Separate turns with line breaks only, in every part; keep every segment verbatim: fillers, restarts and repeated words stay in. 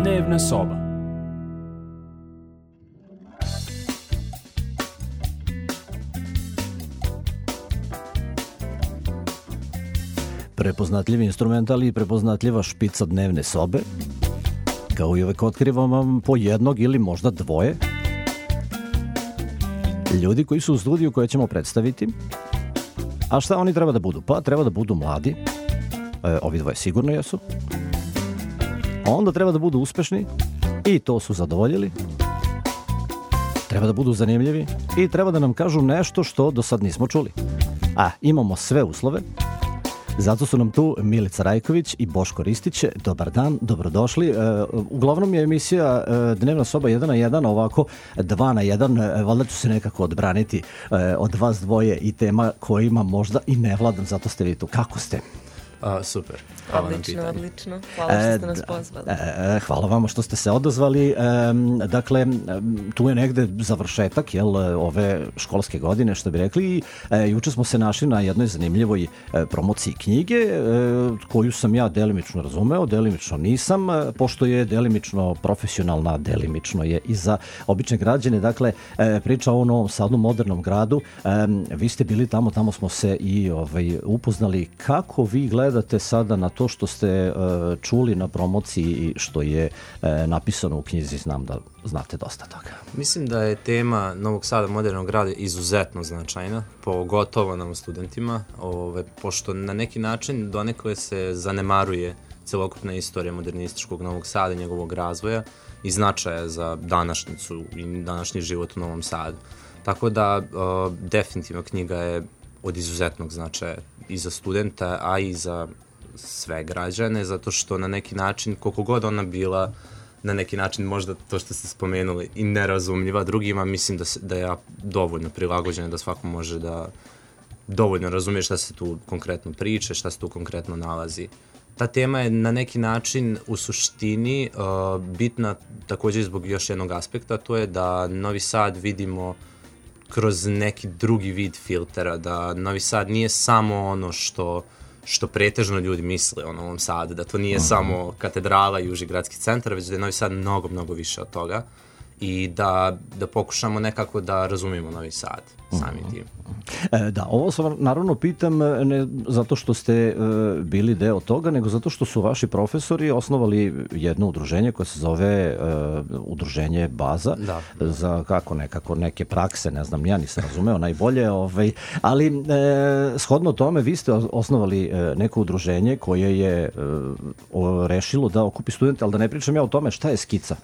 Dnevna soba.
Prepoznatljivi instrumental i prepoznatljiva špica dnevne sobe. Kao i uvek otkrivam vam po jednog ili možda dvoje ljudi koji su u studiju koje ćemo predstaviti. A šta oni treba da budu? Pa treba da budu mladi. E, ovi dvoje sigurno jesu. Onda treba da budu uspešni i to su zadovoljili. Treba da budu zanimljivi i treba da nam kažu nešto što do sad nismo čuli. A, imamo sve uslove. Zato su nam tu Milica Rajković i Boško Ristić. Dobar dan, dobrodošli. E, uglavnom je emisija e, Dnevna soba jedan na jedan, ovako dva na jedan. E, valjda ću se nekako odbraniti e, od vas dvoje i tema kojima možda i ne vladam, zato ste vi tu. Kako ste?
A, super. Hvala
odlično, odlično. Hvala što ste nas pozvali.
E, hvala vama što ste se odazvali. E, dakle, tu je negde završetak jel, ove školske godine, što bi rekli. I, e, juče smo se našli na jednoj zanimljivoj e, promociji knjige, e, koju sam ja delimično razumeo, delimično nisam, pošto je delimično profesionalna, delimično je i za obične građane. Dakle, e, priča o Novom Sadu, modernom gradu. E, vi ste bili tamo, tamo smo se i ovaj, upoznali. Kako vi gledate sada na to što ste uh, čuli na promociji i što je uh, napisano u knjizi? Znam da znate dosta toga.
Mislim da je tema Novog Sada, modernog grada izuzetno značajna, pogotovo nam studentima, ove, pošto na neki način donekle se zanemaruje celokupna istorija modernističkog Novog Sada i njegovog razvoja i značaja za današnjicu i današnji život u Novom Sadu. Tako da uh, definitivno knjiga je od izuzetnog značaja i za studenta, a i za sve građane, zato što na neki način, koliko god ona bila, na neki način možda to što ste spomenuli i nerazumljiva drugima, mislim da, se, da je dovoljno prilagođena da svako može da dovoljno razumije šta se tu konkretno priča, šta se tu konkretno nalazi. Ta tema je na neki način u suštini uh, bitna također zbog još jednog aspekta, to je da Novi Sad vidimo kroz neki drugi vid filtera, da Novi Sad nije samo ono što što pretežno ljudi misle o Novom Sadu, da to nije uh-huh. samo katedrala i uži gradski centar, već da je Novi Sad mnogo, mnogo više od toga i da, da pokušamo nekako da razumijemo Novi Sad sami tim.
E, da, ovo sam naravno pitam ne zato što ste e, bili deo toga, nego zato što su vaši profesori osnovali jedno udruženje koje se zove e, Udruženje Baza,
da.
za kako nekako neke prakse, ne znam, ja nisam razumeo najbolje, ovaj, ali e, shodno tome vi ste osnovali e, neko udruženje koje je e, o, rešilo da okupi studente, ali da ne pričam ja o tome šta je Skica.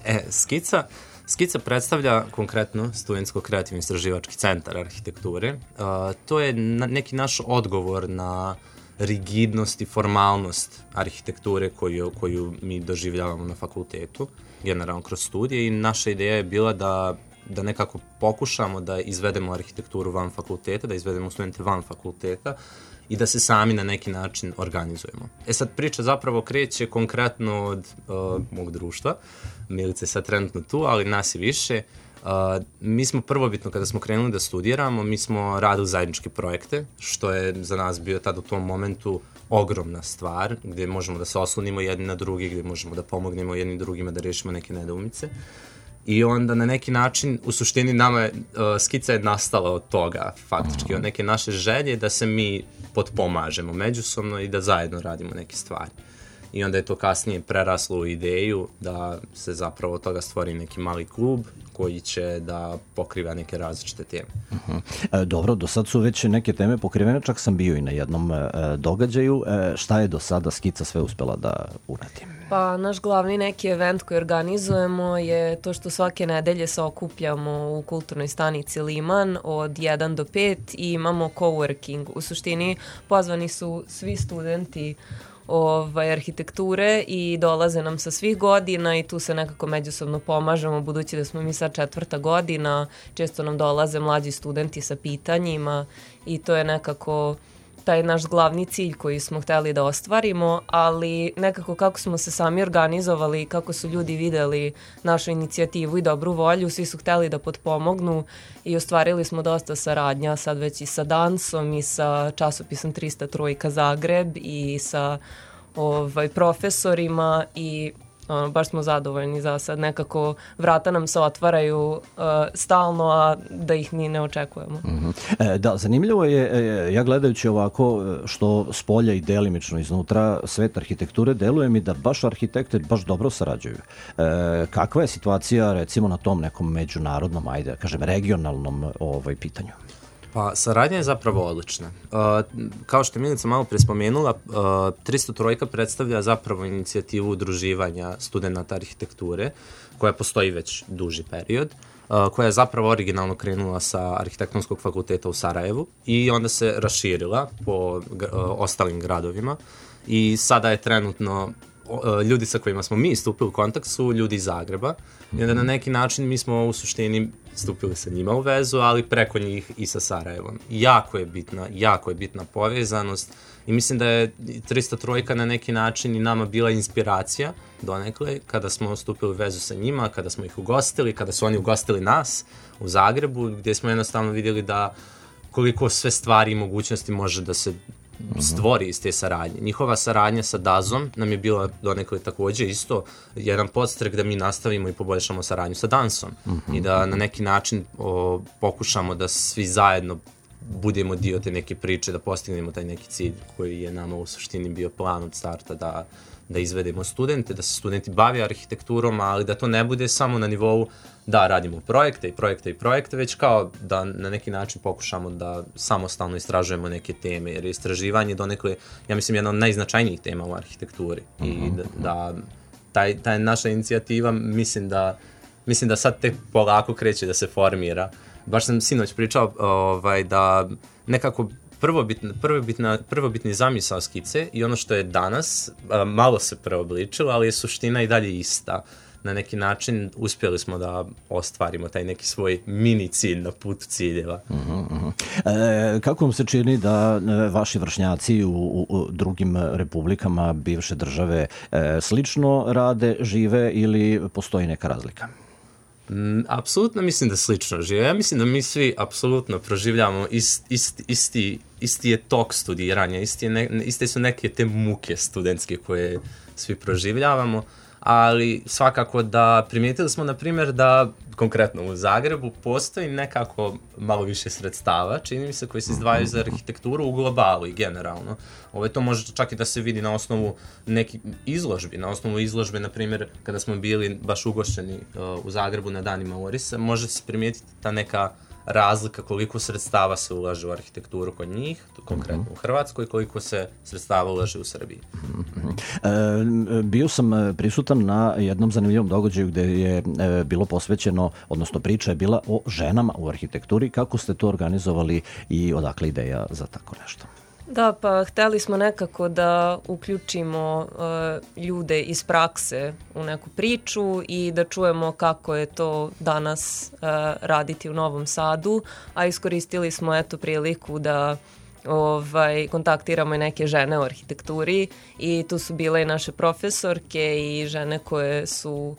e, Skica Skica predstavlja konkretno Studentsko-kreativni istraživački centar arhitekture. Uh, to je na, neki naš odgovor na rigidnost i formalnost arhitekture koju, koju mi doživljavamo na fakultetu, generalno kroz studije, i naša ideja je bila da, da nekako pokušamo da izvedemo arhitekturu van fakulteta, da izvedemo studente van fakulteta i da se sami na neki način organizujemo. E sad, priča zapravo kreće konkretno od uh, mog društva. Milica je sad trenutno tu, ali nas je više. Uh, mi smo prvobitno, kada smo krenuli da studiramo, mi smo radili zajedničke projekte, što je za nas bio tad u tom momentu ogromna stvar, gdje možemo da se oslonimo jedni na drugi, gdje možemo da pomognemo jedni drugima da rešimo neke nedoumice. I onda na neki način, u suštini nama je, uh, Skica je nastala od toga, faktički, od neke naše želje da se mi potpomažemo međusobno i da zajedno radimo neke stvari. I onda je to kasnije preraslo u ideju da se zapravo od toga stvori neki mali klub koji će da pokriva neke različite teme.
Uh-huh. E, dobro, do sad su već neke teme pokrivene, čak sam bio i na jednom e, događaju. E, šta je do sada Skica sve uspela da uradi?
Pa naš glavni neki event koji organizujemo je to što svake nedelje se okupljamo u kulturnoj stanici Liman od jedan do pet i imamo coworking. U suštini pozvani su svi studenti ovaj, arhitekture i dolaze nam sa svih godina i tu se nekako međusobno pomažemo, budući da smo mi sad četvrta godina, često nam dolaze mlađi studenti sa pitanjima i to je nekako taj naš glavni cilj koji smo hteli da ostvarimo, ali nekako kako smo se sami organizovali, kako su ljudi videli našu inicijativu i dobru volju, svi su hteli da potpomognu i ostvarili smo dosta saradnja, sad već i sa Dansom i sa časopisom trista Trojka Zagreb i sa ovaj, profesorima i ono, baš smo zadovoljni za sad. Nekako vrata nam se otvaraju uh, stalno, a da ih ni ne očekujemo.
Mm-hmm. E, da, zanimljivo je, e, ja gledajući ovako što s polja i delimično iznutra svet arhitekture, deluje mi da baš arhitekte baš dobro sarađuju. E, kakva je situacija recimo na tom nekom međunarodnom, ajde, da kažem, regionalnom ovaj, pitanju?
Pa, saradnja je zapravo odlična. Uh, kao što je Milica malo pre spomenula, uh, tristo tri predstavlja zapravo inicijativu udruživanja studenta arhitekture, koja postoji već duži period, uh, koja je zapravo originalno krenula sa Arhitektonskog fakulteta u Sarajevu i onda se raširila po uh, ostalim gradovima i sada je trenutno ljudi sa kojima smo mi stupili u kontakt su ljudi iz Zagreba i onda na neki način mi smo u suštini stupili sa njima u vezu, ali preko njih i sa Sarajevom. Jako je bitna, jako je bitna povezanost i mislim da je tristo tri na neki način i nama bila inspiracija donekle kada smo stupili u vezu sa njima, kada smo ih ugostili, kada su oni ugostili nas u Zagrebu, gdje smo jednostavno vidjeli da koliko sve stvari i mogućnosti može da se stvori iz te saradnje. Njihova saradnja sa Dazom nam je bila donekle također isto jedan podstrek da mi nastavimo i poboljšamo saradnju sa Dansom mm-hmm. i da na neki način o, pokušamo da svi zajedno budemo dio te neke priče, da postignemo taj neki cilj koji je nama u suštini bio plan od starta da, da izvedemo studente, da se studenti bave arhitekturom, ali da to ne bude samo na nivou da radimo projekte i projekte i projekte, već kao da na neki način pokušamo da samostalno istražujemo neke teme, jer je istraživanje donekle, ja mislim, jedna od najznačajnijih tema u arhitekturi i da, da taj, taj naša inicijativa mislim da, mislim da sad tek polako kreće da se formira. Baš sam sinoć pričao ovaj, da nekako prvobitna, prvobitna, prvobitni zamisao skice i ono što je danas malo se preobličilo, ali je suština i dalje ista. Na neki način uspjeli smo da ostvarimo taj neki svoj mini cilj na putu ciljeva.
Uh-huh, uh-huh. E, kako vam se čini da vaši vršnjaci u, u, u drugim republikama bivše države e, slično rade, žive ili postoji neka razlika?
Mm, apsolutno mislim da slično žive. Ja mislim da mi svi apsolutno proživljamo ist, ist, isti, isti je tok studiranja, isti je ne, iste su neke te muke studentske koje svi proživljavamo, ali svakako da primijetili smo, na primjer, da konkretno u Zagrebu postoji nekako malo više sredstava, čini mi se, koji se izdvajaju za arhitekturu u globalu i generalno. Ovo to može čak i da se vidi na osnovu nekih izložbi, na osnovu izložbe, na primjer, kada smo bili baš ugošćeni uh, u Zagrebu na danima Orisa, može se primijetiti ta neka razlika koliko sredstava se ulaže u arhitekturu kod njih, konkretno mm-hmm. u Hrvatskoj, koliko se sredstava ulaže u Srbiji.
Mm-hmm. E, bio sam prisutan na jednom zanimljivom događaju gdje je e, bilo posvećeno, odnosno priča je bila o ženama u arhitekturi. Kako ste to organizovali i odakle ideja za tako nešto?
Da, pa hteli smo nekako da uključimo uh, ljude iz prakse u neku priču i da čujemo kako je to danas uh, raditi u Novom Sadu, a iskoristili smo eto priliku da ovaj, kontaktiramo i neke žene u arhitekturi i tu su bile i naše profesorke i žene koje su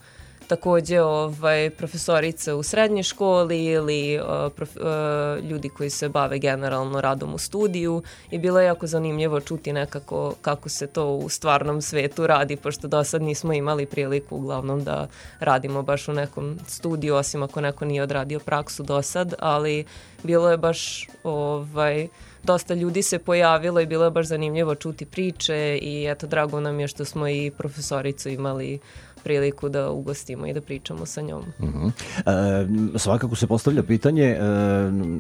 također ovaj, profesorice u srednjoj školi ili uh, prof, uh, ljudi koji se bave generalno radom u studiju i bilo je jako zanimljivo čuti nekako kako se to u stvarnom svetu radi, pošto do sad nismo imali priliku uglavnom da radimo baš u nekom studiju, osim ako neko nije odradio praksu do sad, ali bilo je baš ovaj, dosta ljudi se pojavilo i bilo je baš zanimljivo čuti priče i eto, drago nam je što smo i profesoricu imali priliku da ugostimo i da pričamo sa njom.
Uh-huh. E, svakako se postavlja pitanje e,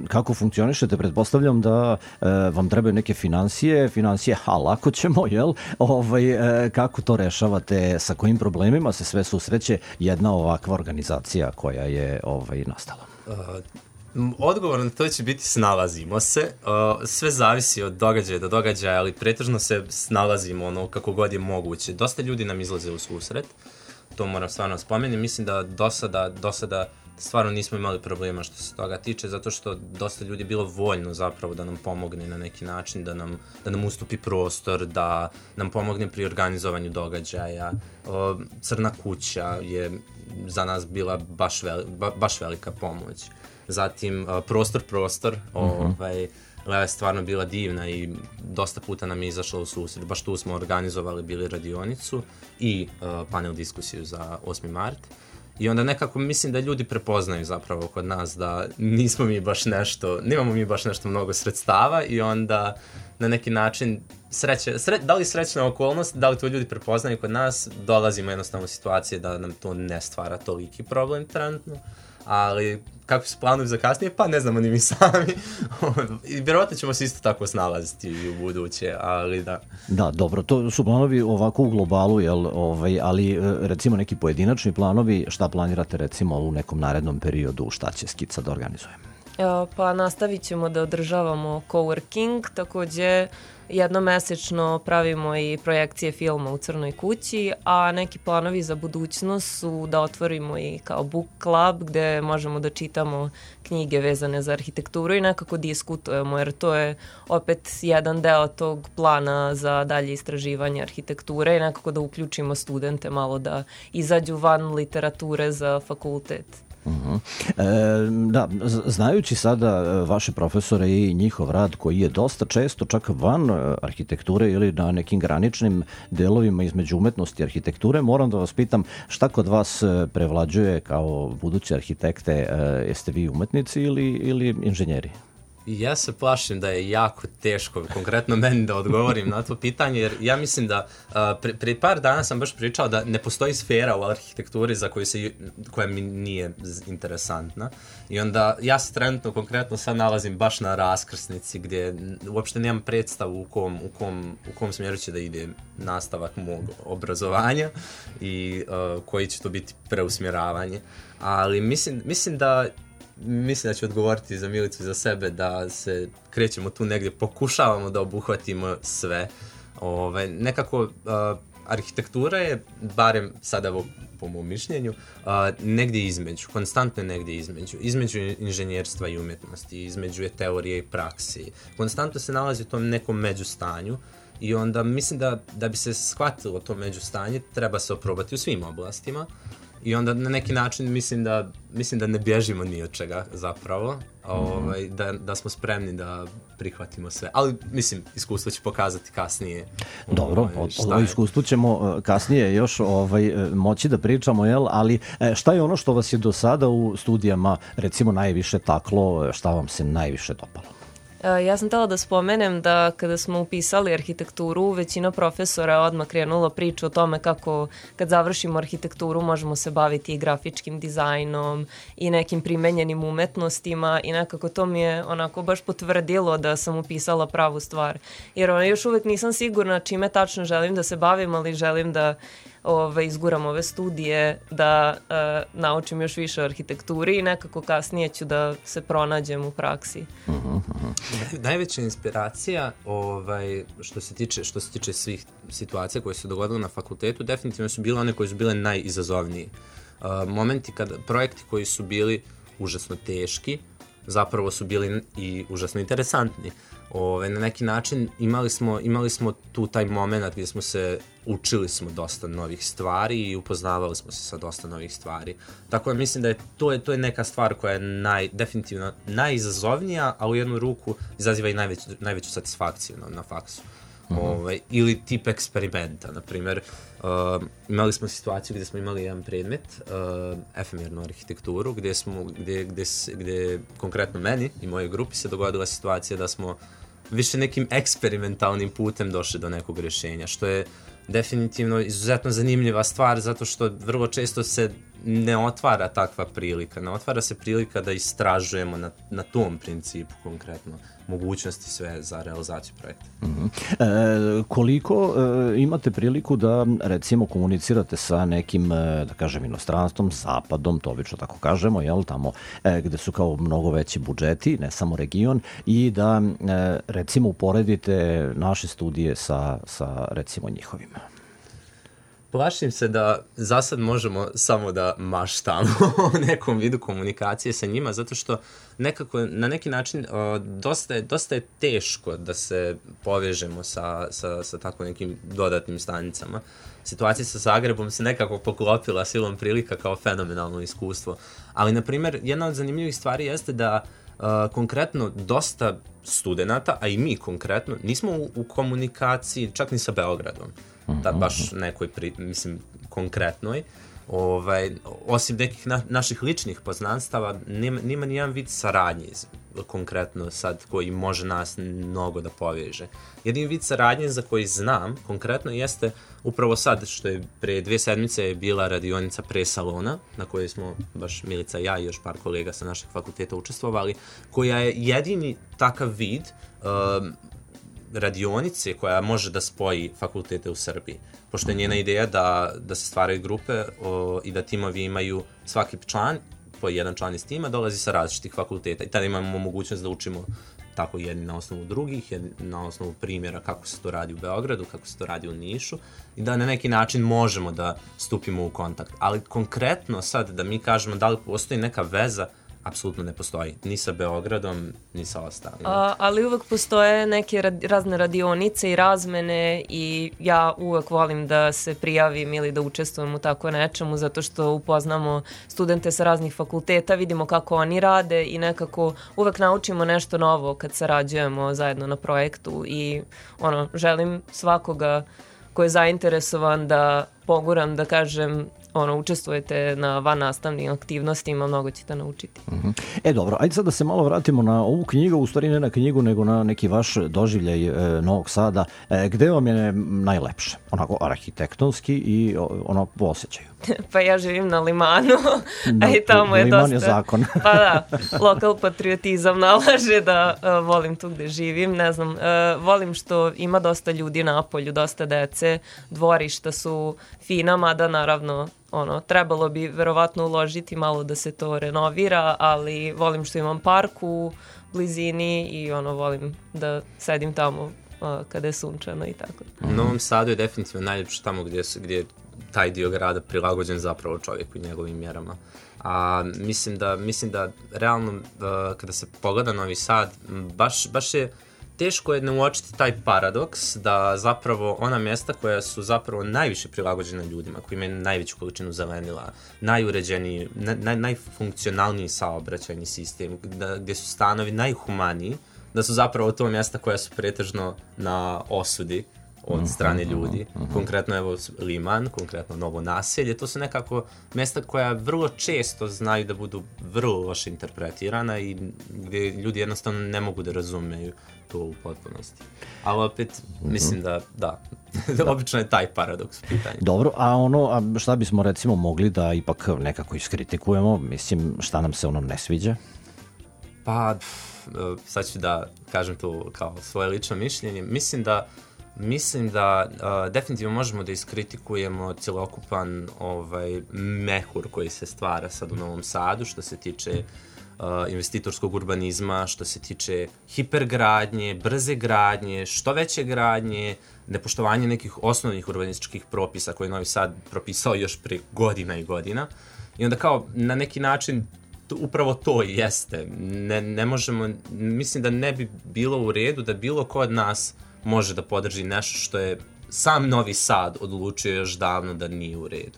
kako funkcionišete. Pretpostavljam da e, vam trebaju neke financije, financije, ha, lako ćemo, jel? Ovaj, e, kako to rešavate, sa kojim problemima se sve susreće jedna ovakva organizacija koja je ovaj, nastala?
Uh. Odgovor na to će biti snalazimo se. Uh, sve zavisi od događaja do događaja, ali pretežno se snalazimo ono kako god je moguće. Dosta ljudi nam izlaze u susret, to moram stvarno spomenuti. Mislim da do sada, do sada stvarno nismo imali problema što se toga tiče, zato što dosta ljudi je bilo voljno zapravo da nam pomogne na neki način, da nam, da nam ustupi prostor, da nam pomogne pri organizovanju događaja. Uh, Crna kuća je za nas bila baš, veli, ba, baš velika pomoć. Zatim uh, prostor, prostor, uh-huh. ovaj, Lea je stvarno bila divna i dosta puta nam je izašla u susret. Baš tu smo organizovali bili radionicu i uh, panel diskusiju za osmi mart. I onda nekako mislim da ljudi prepoznaju zapravo kod nas da nismo mi baš nešto, nemamo mi baš nešto mnogo sredstava i onda na neki način sreće, sre, da li srećna okolnost, da li to ljudi prepoznaju kod nas, dolazimo jednostavno u situacije da nam to ne stvara toliki problem trenutno, ali kako se planuju za kasnije, pa ne znamo ni mi sami. I vjerovatno ćemo se isto tako snalaziti u buduće, ali da.
Da, dobro, to su planovi ovako u globalu, jel, ovaj, ali recimo neki pojedinačni planovi, šta planirate recimo u nekom narednom periodu, šta će Skica da organizuje?
Pa nastavit ćemo da održavamo coworking, takođe jednomesečno pravimo i projekcije filma u Crnoj kući, a neki planovi za budućnost su da otvorimo i kao book club gde možemo da čitamo knjige vezane za arhitekturu i nekako diskutujemo, jer to je opet jedan deo tog plana za dalje istraživanje arhitekture i nekako da uključimo studente malo da izađu van literature za fakultet.
Uh-huh. E, da, znajući sada vaše profesore i njihov rad koji je dosta često čak van arhitekture ili na nekim graničnim delovima između umetnosti i arhitekture, moram da vas pitam šta kod vas prevlađuje kao buduće arhitekte, e, jeste vi umetnici ili, ili inženjeri?
Ja se plašim da je jako teško, konkretno meni, da odgovorim na to pitanje, jer ja mislim da uh, pre, pre par dana sam baš pričao da ne postoji sfera u arhitekturi za koju se, koja mi nije interesantna. I onda ja se trenutno konkretno sad nalazim baš na raskrsnici gdje uopšte nemam predstavu u kom, u kom, u kom smjeru će da ide nastavak mog obrazovanja i uh, koji će to biti preusmjeravanje. Ali mislim, mislim da Mislim da ću odgovoriti za Milicu i za sebe da se krećemo tu negdje, pokušavamo da obuhvatimo sve. Ove, nekako uh, arhitektura je, barem sada evo, po mom mišljenju, uh, negdje između, konstantno negdje između. Između inženjerstva i umjetnosti, između je teorije i praksi. Konstantno se nalazi u tom nekom međustanju i onda mislim da, da bi se shvatilo to međustanje, treba se oprobati u svim oblastima. I onda na neki način mislim da, mislim da ne bježimo ni od čega zapravo, ovaj, da, da smo spremni da prihvatimo sve. Ali mislim, iskustvo će pokazati kasnije.
Dobro, ovaj, o, o iskustvu ćemo kasnije još ovaj, moći da pričamo, jel? Ali šta je ono što vas je do sada u studijama recimo najviše taklo, šta vam se najviše dopalo?
Ja sam htjela da spomenem da kada smo upisali arhitekturu, većina profesora je odmah krenula priču o tome kako kad završimo arhitekturu možemo se baviti i grafičkim dizajnom i nekim primenjenim umetnostima i nekako to mi je onako baš potvrdilo da sam upisala pravu stvar. Jer ono, još uvek nisam sigurna čime tačno želim da se bavim, ali želim da Ove, izguram ove studije, da e, naučim još više o arhitekturi i nekako kasnije ću da se pronađem u praksi.
Uh-huh, uh-huh.
Najveća inspiracija ovaj, što se tiče, što se tiče svih situacija koje su dogodile na fakultetu, definitivno su bile one koje su bile najizazovniji. Uh, momenti kada projekti koji su bili užasno teški, zapravo su bili i užasno interesantni. Ove, na neki način imali smo, imali smo tu taj moment gdje smo se učili smo dosta novih stvari i upoznavali smo se sa dosta novih stvari. Tako da mislim da je to je, to je neka stvar koja je naj, definitivno najizazovnija, a u jednu ruku izaziva i najveću, najveću satisfakciju na, na faksu. Mm-hmm. Ove, ili tip eksperimenta, na primjer, uh, imali smo situaciju gdje smo imali jedan predmet, uh, efemernu arhitekturu, gdje smo, gdje, gdje, gdje konkretno meni i mojoj grupi se dogodila situacija da smo više nekim eksperimentalnim putem došli do nekog rješenja, što je definitivno izuzetno zanimljiva stvar, zato što vrlo često se ne otvara takva prilika. Ne otvara se prilika da istražujemo na, na tom principu konkretno mogućnosti sve za realizaciju projekta.
Mm-hmm. E, koliko e, imate priliku da recimo komunicirate sa nekim, e, da kažem, inostranstvom, zapadom, to obično tako kažemo, jel, tamo e, gde su kao mnogo veći budžeti, ne samo region, i da e, recimo uporedite naše studije sa, sa recimo njihovim?
Plašim se da za sad možemo samo da maštamo o nekom vidu komunikacije sa njima, zato što nekako, na neki način o, dosta, je, dosta je teško da se povežemo sa, sa, sa tako nekim dodatnim stanicama. Situacija sa Zagrebom se nekako poklopila silom prilika kao fenomenalno iskustvo. Ali, na primjer, jedna od zanimljivih stvari jeste da Uh, konkretno, dosta studenata, a i mi konkretno, nismo u, u komunikaciji čak ni sa Beogradom. Da, baš nekoj, pri, mislim, konkretnoj. Ovaj, osim nekih na, naših ličnih poznanstava, nema, nema nijedan vid saradnje konkretno sad koji može nas mnogo da poveže. Jedin vid saradnje za koji znam konkretno jeste upravo sad što je pre dve sedmice je bila radionica pre salona na kojoj smo baš Milica, ja i još par kolega sa našeg fakulteta učestvovali, koja je jedini takav vid um, radionice koja može da spoji fakultete u Srbiji. Pošto je njena ideja da, da se stvaraju grupe o, i da timovi imaju svaki član, po jedan član iz tima, dolazi sa različitih fakulteta i tada imamo mogućnost da učimo tako jedni na osnovu drugih, jedni na osnovu primjera kako se to radi u Beogradu, kako se to radi u Nišu i da na neki način možemo da stupimo u kontakt. Ali konkretno sad da mi kažemo da li postoji neka veza, apsolutno ne postoji, ni sa Beogradom, ni sa ostalim.
A, ali uvek postoje neke rad, razne radionice i razmene i ja uvek volim da se prijavim ili da učestvujem u tako nečemu zato što upoznamo studente sa raznih fakulteta, vidimo kako oni rade i nekako uvek naučimo nešto novo kad sarađujemo zajedno na projektu i ono, želim svakoga ko je zainteresovan da poguram, da kažem, ono, učestvujete na van nastavnim aktivnostima, mnogo ćete naučiti.
Uh-huh. E dobro, ajde sad da se malo vratimo na ovu knjigu, u stvari ne na knjigu, nego na neki vaš doživljaj e, Novog Sada. E, gde vam je najlepše? Onako arhitektonski i ono po osjećaju.
Pa ja živim na Limanu, a i tamo je
Liman
dosta...
je zakon.
Pa da, lokal patriotizam nalaže da uh, volim tu gde živim, ne znam, uh, volim što ima dosta ljudi na polju, dosta dece, dvorišta su fina, mada naravno ono, trebalo bi verovatno uložiti malo da se to renovira, ali volim što imam park u blizini i ono, volim da sedim tamo uh, kada je sunčano i tako.
U Novom Sadu je definitivno najljepše tamo gdje, su, gdje je taj dio grada prilagođen zapravo čovjeku i njegovim mjerama. A mislim da, mislim da realno uh, kada se pogleda Novi Sad, baš, baš je teško je ne uočiti taj paradoks da zapravo ona mjesta koja su zapravo najviše prilagođena ljudima, koji imaju najveću količinu zelenila, najuređeniji, naj, najfunkcionalniji saobraćajni sistem, da, gdje su stanovi najhumaniji, da su zapravo to mjesta koja su pretežno na osudi od strane ljudi. Uh-huh. Konkretno evo Liman, konkretno Novo Naselje, to su nekako mjesta koja vrlo često znaju da budu vrlo loše interpretirana i gdje ljudi jednostavno ne mogu da razumeju to u potpunosti. Ali opet, uh-huh. mislim da, da, da. obično je taj paradoks u pitanju.
Dobro, a ono, a šta bismo recimo mogli da ipak nekako iskritikujemo, mislim, šta nam se ono ne sviđa?
Pa, sad ću da kažem to kao svoje lično mišljenje. Mislim da Mislim da uh, definitivno možemo da iskritikujemo cjelokupan ovaj, mehur koji se stvara sad u Novom Sadu što se tiče uh, investitorskog urbanizma, što se tiče hipergradnje, brze gradnje, što veće gradnje, nepoštovanje nekih osnovnih urbanističkih propisa koje je Novi Sad propisao još pre godina i godina. I onda kao na neki način upravo to jeste. Ne, ne možemo, mislim da ne bi bilo u redu da bilo ko od nas može da podrži nešto što je sam Novi Sad odlučio još davno da nije u redu.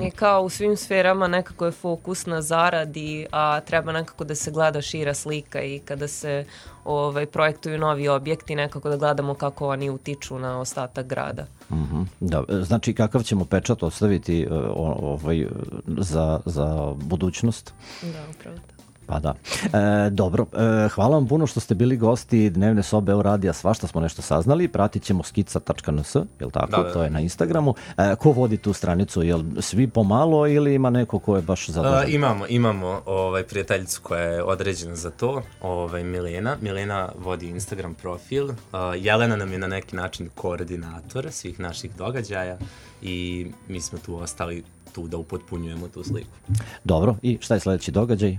I kao u svim sferama nekako je fokus na zaradi, a treba nekako da se gleda šira slika i kada se ovaj, projektuju novi objekti, nekako da gledamo kako oni utiču na ostatak grada.
Uh-huh. Da, znači kakav ćemo pečat ostaviti uh, ovaj, za, za budućnost?
Da, upravo to.
Pa da. E, dobro, e, hvala vam puno što ste bili gosti Dnevne sobe Euradija, svašta smo nešto saznali, pratit ćemo skica tačka en es, jel tako? Da, da, da. To je na Instagramu. E, ko vodi tu stranicu, jel svi pomalo ili ima neko ko je baš zadužen?
Uh, imamo, imamo ovaj, prijateljicu koja je određena za to, ovaj, Milena. Milena vodi Instagram profil, uh, Jelena nam je na neki način koordinator svih naših događaja i mi smo tu ostali tu da upotpunjujemo tu sliku.
Dobro, i šta je sljedeći događaj?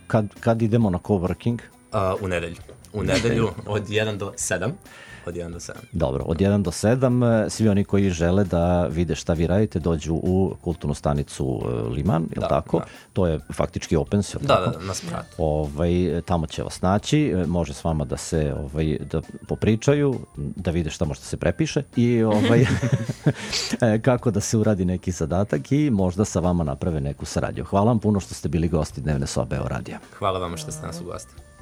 Kad, kad idemo na coworking?
Uh, u nedelju. U nedelju od jedan do sedam. od jedan do sedam.
Dobro, od jedan do sedam, svi oni koji žele da vide šta vi radite, dođu u kulturnu stanicu Liman, je li
Da,
tako?
da.
To je faktički opens, je li
Da,
tako?
da, da, nas prati.
Ovaj, tamo će vas naći, može s vama da se ovaj, da popričaju, da vide šta može da se prepiše i ovaj, kako da se uradi neki zadatak i možda sa vama naprave neku saradnju. Hvala vam puno što ste bili gosti Dnevne sobe o radija.
Hvala vama što ste nas ugostili.